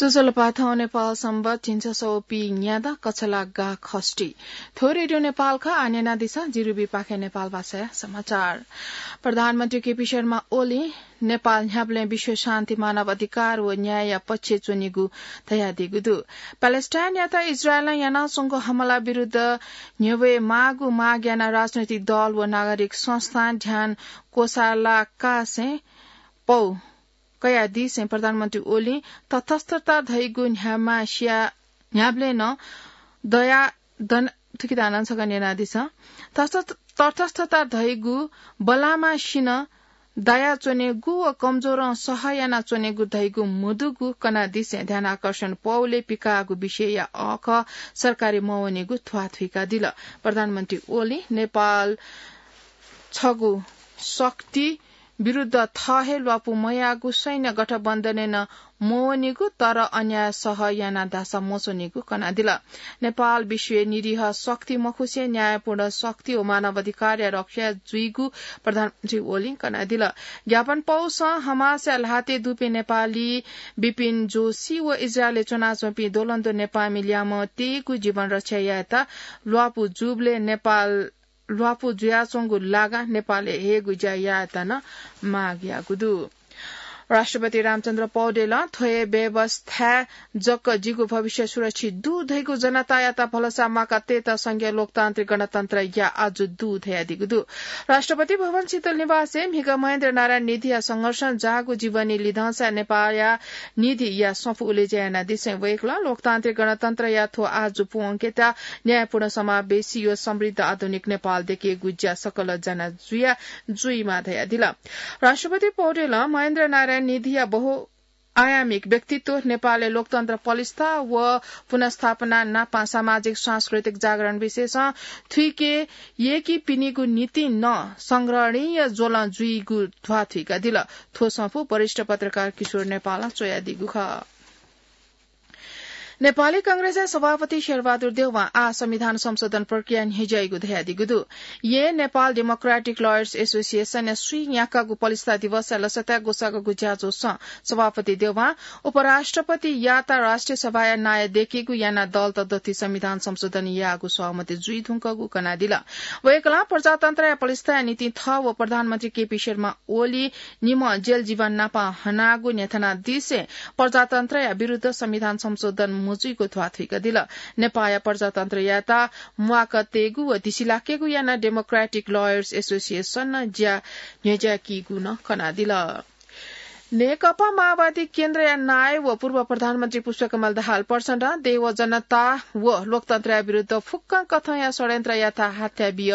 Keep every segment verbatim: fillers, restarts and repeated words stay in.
ज्वजलपा, थौं नेपाल संवत् झिंछसः व पीन्यादँ कछलागा खष्ठी। थ्व रेडियो नेपाल खः, आः न्यनादिसँ जिरुबी पाखें नेपाल भाषाया समाचार। प्रधानमन्त्री केपी शर्मा ओलीं नेपाल न्ह्याबलें विश्व शान्ति, मानव अधिकार व न्यायया पक्षय् च्वनीगु धयादीगु दु। प्यालेस्टाइनयात इजरायलं यानाच्वंगु हमला विरुद्ध न्ह्यब्वये माःगु माग यानाः राजनैतिक दल व नागरिक संस्थां ध्यान क्वसालाकासें पौ कयादिसें प्रधानमन्त्री ओलीं तटस्थता धइगु न्ह्याम्हसिया न्ह्याबलें नं दया दन थुकितानं छकः न्यनादिसँ। तटस्थ-, तटस्थता धइगु बलामासिनं दयाच्वनेगु व कमजोरं सह यानाच्वनेगु धइगु मदुगु कनादिसें ध्यानाकर्षण पौले पिकाःगु विषयया अःखः सरकारी मवनेगु ध्वाथुइकादिल। प्रधानमन्त्री ओलीं नेपाल छगू शक्ति विरुद्ध थः हे ल्वापु मयाःगु सैन्य गठबन्धनय् नं मवनीगु, तर अन्याय सह याना धाःसा मच्वनीगु कनादिल। नेपाल विश्वय् निरीह शक्ति मखुसें न्यायपूर्ण शक्ति व मानवाधिकारया रक्षा जुइगु प्रधानमन्त्री ओलीं कनादिल। ज्ञापन पौसं हमासया ल्हातय् दुपिं नेपाली बिपिन जोशी व इजरायलय् च्वनाच्वंपिं द्वलंद्व नेपाःमि ल्यामं तयेगु जीवन रक्षा यायेत ल्वापु जूबलय् नेपाल ल्वापु जुयाच्वंगु लागां नेपालय् हयेगु ज्या यायेत नं माग याःगु दु। राष्ट्रपति रामचन्द्र पौडेलं थ्व हे व्यवस्थाय् जक जिगु भविष्य सुरक्षित दु धइगु जनतायात भलसा म्वाका तयेत संघीय लोकतान्त्रिक गणतन्त्रया आजु दु धयादीगु दु। राष्ट्रपति भवन शीतल निवासय् म्हिगः महेन्द्र नारायण निधिया संघर्षं जाःगु जीवनी लिधंसा नेपाःया निधिया सफू उलेज्या यानादिसें वय्कलं लोकतान्त्रिक गणतन्त्रया थ्व आजु पूवंकेत न्यायपूर्ण, समावेशी व समृद्ध आधुनिक नेपाल दयेकेगु ज्या सकल जना जुया जुइमा धयादिल। राष्ट्रपति पौडेलं महेन्द्र नारायण निधिया बहुआयामिक व्यक्तित्व, नेपालय् लोकतन्त्र पलिस्था व पुनर्स्थापना नापं सामाजिक सांस्कृतिक जागरण विशेषं थुइके यय्कीपिनिगु निंतिं नं संग्रहणीय ज्वलं जुइगु ध्वाथुइकादिल। थ्व सफू वरिष्ठ पत्रकार किशोर नेपालं च्वयादीगु खः। नेपाली कांग्रेसया सभापति शेरबहादुर देउवां आः संविधान संशोधन प्रक्रिया न्ह्यज्याइगु धयादीगु दु। येँ नेपाल डेमोक्रेटिक लयर्स एसोसिएसनया स्वीन्याकागु पलिस्था दिवसया लसताय् ग्वसाःगु ज्याझ्वलय् सभापति देउवां उपराष्ट्रपतियात राष्ट्रिय सभाया नायः दयेकेगु यानाः दलत दथुइ संविधान संशोधन यायेगु सहमति जुइधुंकूगु कनादिल। वय्कलं प्रजातन्त्रया पलिस्थाया निंतिं थः व प्रधानमन्त्री केपी शर्मा ओली निम्ह जेल जीवन नापं हनागु न्ह्यथनादिसें प्रजातन्त्रया विरुद्ध संविधान संशोधन मजुइगु ध्वाथुइकादिल। नेपाःया प्रजातन्त्रयात म्वाका तयेगु व दिसिलाकेगु यानाः डेमोक्रेटिक लयर्स एसोसिएसनं ज्या न्ह्यज्याकीगु नं कनादिल। नेकपा माओवादी केन्द्रया नायः व पूर्व प्रधानमन्त्री पुष्पकमल दाहाल प्रचण्डं देय् व जनता व लोकतन्त्रया विरुद्ध फुक्कं कथंया षड्यन्त्रयात हाथ्याबिय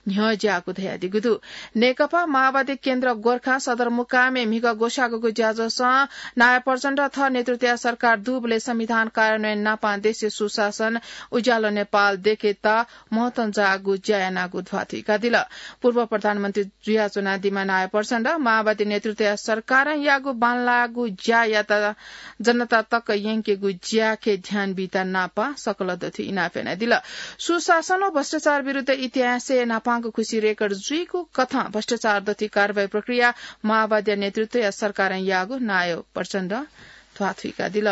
न्ह्यज्याःगु धयादीगु दु। नेकपा माओवादी केन्द्र गोर्खा सदरमुकामय् म्हिगः ग्वसाःगु ज्याझ्वलय् नायः प्रचण्डं थः नेतृत्वया सरकार दुबलय् संविधान कार्यान्वयन नापं देशय् सुशासन, उज्यालो नेपाल दयेकेत महत्वं जाःगु ज्या यानागु ध्वाथुइकादिल। पूर्व प्रधानमन्त्री जुयाच्वनादीम्ह नायः प्रचण्डं माओवादी नेतृत्वया सरकारं याःगु बांलाःगु ज्यायात जनता तक यंकेगु ज्याके ध्यान बीत नापं सकल दथुइ इनाप यानादिल। सुशासन व भ्रष्टाचार विरुद्ध इतिहासय् न्हापांगु खुसी रेकर्ड जुइगु कथं भ्रष्टाचार दथुइ कारवाही प्रक्रिया माओवादीया नेतृत्वया सरकारं याःगु नायः प्रचण्डं ध्वाथुइकादिल।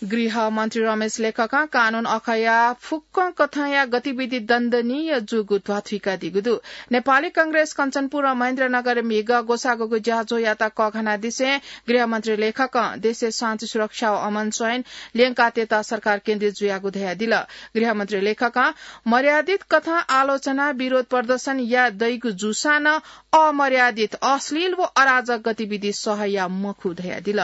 गृह मन्त्री रमेश लेखकं कानून अखया फुक्कं कथंया गतिविधि दण्डनीय जूगु ध्वाथुइकादीगु दु। नेपाली कांग्रेस कञ्चनपुर र महेन्द्रनगरय् म्हिगः ग्वसाःगु ज्याझ्वःयात कःघानादिसें गृहमन्त्री लेखकं देशय् शान्ति सुरक्षा व अमन चयन ल्यंकातयेत सरकार केन्द्रित जुयागु धयादिल। गृहमन्त्री लेखकं मर्यादित कथं आलोचना, विरोध प्रदर्शन याये दइगु जूसां नं अमर्यादित, अश्लील व अराजक गतिविधि सह याये मखु धयादिल।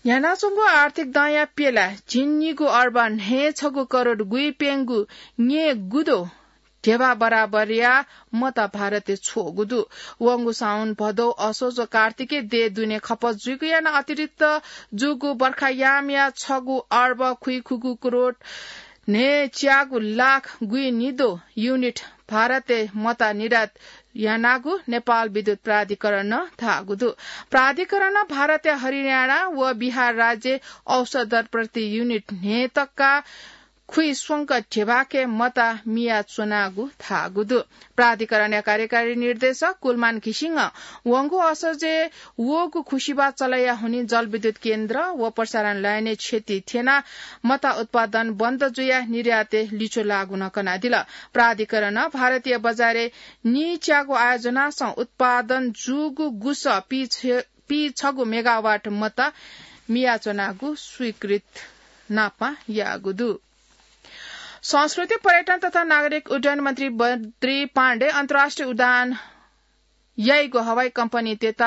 न्ह्यानाच्वंगु आर्थिक दँया प्यला झिंनिगू अर्ब न्हय्छगू करोड गुइप्यंगू न्येगुदो ध्यबा बराबरया मत भारतय् छ्वःगु दु। वंगु साउन, भदौ, असोज व कार्तिकय् देय् दुने खपत जुइगु यानाः अतिरिक्त जूगु बर्खायामया छगू अर्ब खुइखुगू करोड न्हय्च्यागू लाख गुइनिदो युनिट भारतय् मत निर्यात यानागु नेपाल विद्युत प्राधिकरणं धाःगु दु। प्राधिकरणं भारतया हरियाणा व बिहार राज्यय् औसत दर प्रति युनिट न्हय्तक्का खुइस्वंक ध्यबाके मता मियाच्वनागु धाःगु दु। प्राधिकरणया कार्यकारी निर्देशक कुलमान घिसिङं वंगु असोजय् वःगु खुसिबा चलया हुनिं जलविद्युत केन्द्र व प्रसारण लाइनय् क्षति थ्यनाः मता उत्पादन बन्द जुयाः निर्यातय् लिच्वः लाःगु नं कनादिल। प्राधिकरणं भारतीय बजारय् नीच्यागु आयोजनासं उत्पादन जूगु गुसः पीछ-, पीछगू मेगावाट मता मियाच्वनागु स्वीकृत नापं याःगु दु। संस्कृति, पर्यटन तथा नागरिक उड्डयन मन्त्री बद्री पाण्डे अन्तर्राष्ट्रिय उडान याइगु हवाई कम्पनीतय्त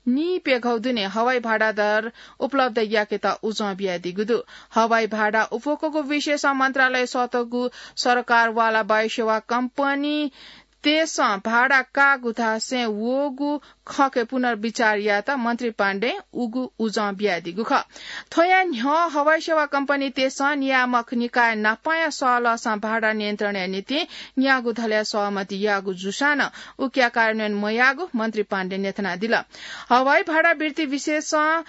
नीप्यघौ दुने हवाई भाडा दर उपलब्ध याकेत उजं बियादीगु दु। हवाई भाडा उफुकूगु विषयसं मन्त्रालय सःतःगु सरकारवाला वायुसेवा कम्पनी तय्सं भाडा काःगु धासें वःगु खँके पुनर्विचार यायेत मन्त्री पाण्डें उगु उजं बियादीगु खः। थ्वया न्ह्यः हवाई सेवा कम्पनीतय्सं नियामक निकाय नापंया सहलहसं भाडा नियन्त्रणया निंतिं न्यागू धलया सहमति याःगु जूसां नं उकिया कार्यान्वयन मयाःगु मन्त्री पाण्डें न्ह्यथनादिल। हवाई भाडा वृद्धि विषयसं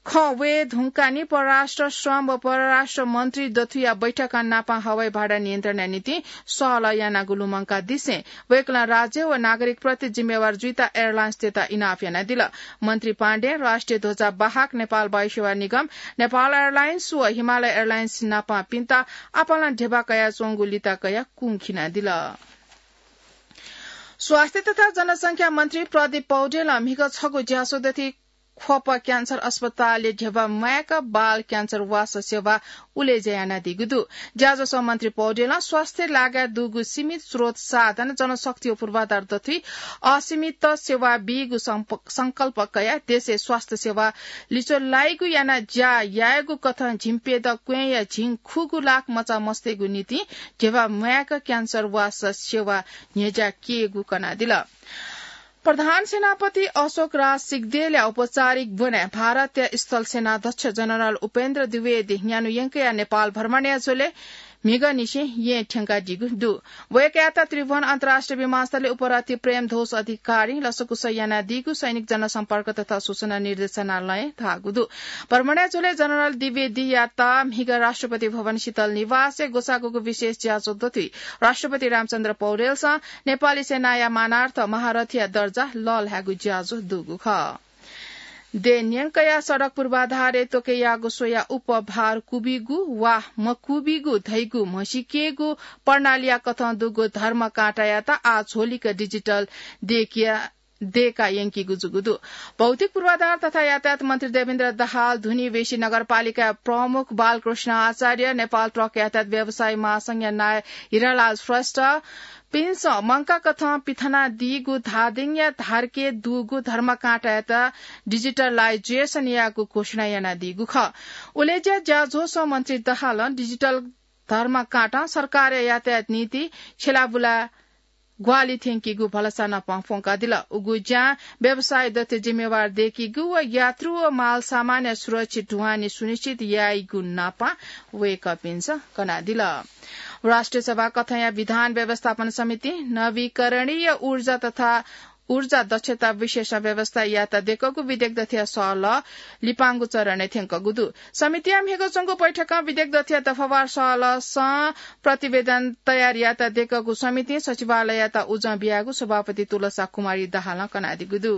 खँ वये धुंकाः नि परराष्ट्र, श्रम व परराष्ट्र मन्त्री दथुया बैठकं नापं हवाई भाडा नियन्त्रणया निंतिं सहलह यानागु लुमंकादिसें वय्कलं राज्य व नागरिकप्रति जिम्मेवार जुइत एयरलाइन्सतय्त इनाप यानादिल। मन्त्री पाण्डें राष्ट्रिय ध्वजा बाहक नेपाल वायुसेवा निगम, नेपाल एयरलाइन्स व हिमालय एयरलाइन्स नापंपिन्त आपालं ध्यबा कयाच्वंगु लिता कयाः कुंखिनादिल। स्वास्थ्य तथा जनसंख्या मन्त्री प्रदीप पौडेलं म्हिगः छगू ज्याझ्वः दथुइ ख्वप क्यान्सर अस्पतालय् ध्यबा म्वायेक बाल क्यान्सर वास सेवा उलेज्या यानादीगु दु। ज्याझ्वलय् मन्त्री पौडेलं स्वास्थ्य लागाय् दुगु सीमित स्रोत साधन, जनशक्ति व पूर्वाधार दथुइ असीमित सेवा बीगु संप-, संकल्प कयाः देशय् स्वास्थ्य सेवा लिच्वः लाइगु यानाः ज्या यायेगु कथं झिंप्यदँ क्वँय्या झिंखुगू लाख मचा मस्तय्गु निंतिं ध्यबा म्वायेक क्यान्सर वास सेवा न्ह्यज्या केःगु कनादिल। प्रधान सेनापति अशोक राज सिग्देलया औपचारिक ब्वनय् भारतया स्थल सेनाध्यक्ष जनरल उपेन्द्र द्विवेदी न्यान्हु यंकया नेपाल भ्रमणया झ्वलय् म्हिगःनिसें येँ थ्यंकादीगु दु। वय्कःयात त्रिभुवन अन्तर्राष्ट्रिय विमानस्थलय् उपरथी प्रेमध्वज अधिकारीं लसकुस यानादीगु सैनिक जनसम्पर्क तथा सूचना निर्देशनालयं धाःगु दु। भ्रमणया झ्वलय् जनरल द्विवेदीयात म्हिगः राष्ट्रपति भवन शीतल निवासय् ग्वसाःगुगु विशेष ज्याझ्वः दथुइ राष्ट्रपति रामचन्द्र पौडेलसं नेपाली सेनाया मानार्थ महारथीया दर्जा लःल्हायेगु ज्याझ्वः दुगु खः। देय् न्यंकया सडक पूर्वाधारय् त्वके याःगु स्वयाः उपभार क्वबिगु वा मक्वबिगु धइगु म्हसीकेगु प्रणालीया कथं दुगु धर्म काँटायात आः झ्वलिक डिजिटल देय्किया दय्का यंकीगु जूगु दु। भौतिक पूर्वाधार तथा यातायात मन्त्री देवेन्द्र दाहाल, धुनीवेशी नगरपालिका प्रमुख बालकृष्ण आचार्य, नेपाल ट्रक यातायात व्यवसायी महासंघया नायः हिरालाल श्रेष्ठ, पिन्सं मंकाकथं पिथनादीगु धादिङया धारके दुगु धर्मकाँटायात डिजिटलाइजेसन यायेगु घोषणा यानादीगु खः। उलेज्या ज्याझ्वलय् मन्त्री दाहालं डिजिटल धर्मकाँटां सरकारया यातायात नीति छ्यलाबुला ग्वाहालि थ्यंकीगु भलसा नापं फ्वंकादिल। उगु ज्यां व्यवसायी दथुइ जिम्मेवार दय्कीगु व यात्रु व माल सामानया सुरक्षित ढुवानी सुनिश्चित याइगु नापं वय्कःपिन्सं कनादिल। राष्ट्रिय सभा कथंया विधान व्यवस्थापन समितिं नवीकरणीय ऊर्जा तथा ऊर्जा दक्षता विशेष व्यवस्था यायेत दय्कःगु विधेयक दथुया सहलह लिपांगु चरणय् थ्यंकूगु दु। समितिया म्हिगः च्वंगु बैठकं विधेयक दथुया दफावार सहलहसं प्रतिवेदन तयार यायेत दय्कःगु समितिं सचिवालययात उजं बियागु सभापति तुलसा कुमारी दाहालं कनादीगु दु।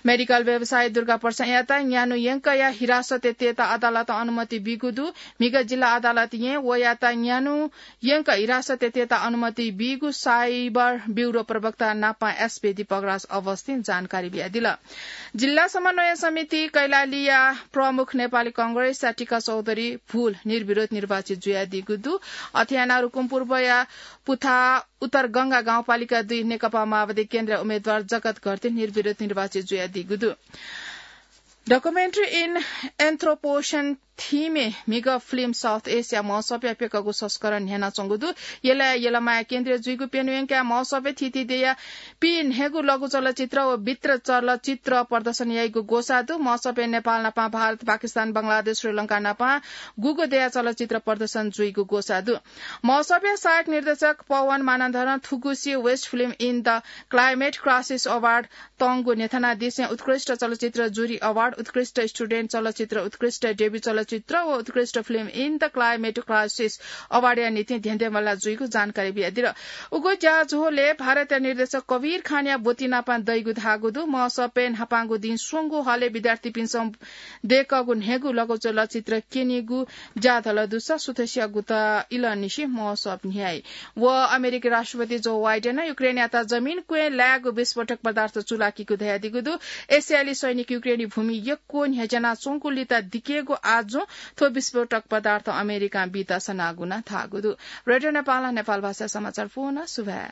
मेडिकल व्यवसायी दुर्गा प्रसादयात न्यान्हु यंकया हिरासतय् तयेत अदालतं अनुमति बीगु दु। म्हिगः जिल्ला अदालतं वयात न्यान्हु यंक हिरासतय् तयेत अनुमति बीगु साइबर ब्युरो प्रवक्ता नापं एसपी दीपकराज अवस्थिं जानकारी बियादिल। जिल्ला समन्वय समिति कैलालीया प्रमुख नेपाली कांग्रेसया टीका चौधरी भूल निर्विरोध निर्वाचित जुयादीगु दु। अथे यानाः रुकुम पूर्वया पुथा उत्तर गंगा गाउँपालिका दुई नेकपा माओवादी केन्द्रया उम्मेदवार जगत घरती निर्विरोध निर्वाचित जुयादीगु दु। Documentary in Anthropocene theme-य् म्हिगः फिल्म साउथ इस्टया महोत्सवया प्यकःगु संस्करण न्ह्यानाच्वंगु दु। यलया यलमाया केन्द्रीय जुइगु प्यन्हु यंकया महोत्सवय् थीथी देय्या पीन्हय्गू लघु चलचित्र व वृत्त चलचित्र प्रदर्शन याइगु ग्वसाः दु। महोत्सवय् नेपाल नापं भारत, पाकिस्तान, बंगलादेश, श्रीलंका नापं गुगु देय्या चलचित्र प्रदर्शन जुइगु ग्वसाः दु। महोत्सवया सहायक निर्देशक पवन मानन्धरं थुगुसी Best Film in the Climate Crisis Award तंगु न्ह्यथनादिसें उत्कृष्ट चलचित्र जुरी अवार्ड उत्कृष्ट स्टुडेन्ट चलचित्र, उत्कृष्ट डेब्यू चलचित्र व उत्कृष्ट film in the climate crisis अवार्डया निंतिं धेंधेंबल्लाः जुइगु जानकारी बियादिल। उगु ज्याझ्वलय् भारतया निर्देशक कबीर खानया ब्वति नापं दइगु धाःगु दु। महोत्सवय् न्हापांगु दिं स्वंगू हलय् विद्यार्थीपिन्सं दय्कःगु न्हय्गू लघु चलचित्र क्यनीगु ज्या धल दुसा सुथसिया गुता इलंनिसें महोत्सव न्ह्याइ। व अमेरिकी राष्ट्रपति जो बाइडेनं युक्रेनयात जमिन क्वँय् लायेगु विस्फोटक पदार्थ चूलाकीगु धयादीगु दु। इस्रायली सैनिक युक्रेनी भूमि यक्व न्ह्यज्यानाच्वंगुलिं दिकेगु आजुं थ्व विस्फोटक पदार्थ अमेरिकां बीत सनागु नं धाःगु दु। रेडियो नेपालं नेपाल भाषा समाचार पूवना। सुभाय्।